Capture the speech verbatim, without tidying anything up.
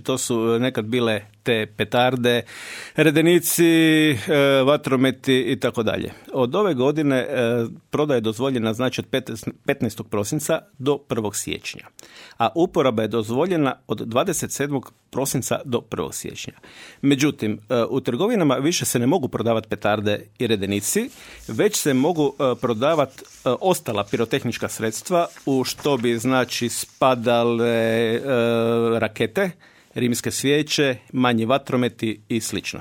To su nekad bile te petarde, redenici, vatrometi i tako dalje. Od ove godine prodaja je dozvoljena znači od petnaestog prosinca do prvog siječnja, a uporaba je dozvoljena od dvadeset sedmog prosinca do prvog siječnja. Međutim, u trgovinama više se ne mogu prodavati petarde i redenici, već se mogu prodavati ostala pirotehnička sredstva, u što bi znači spadale rakete, rimske svijeće, manji vatrometi i slično.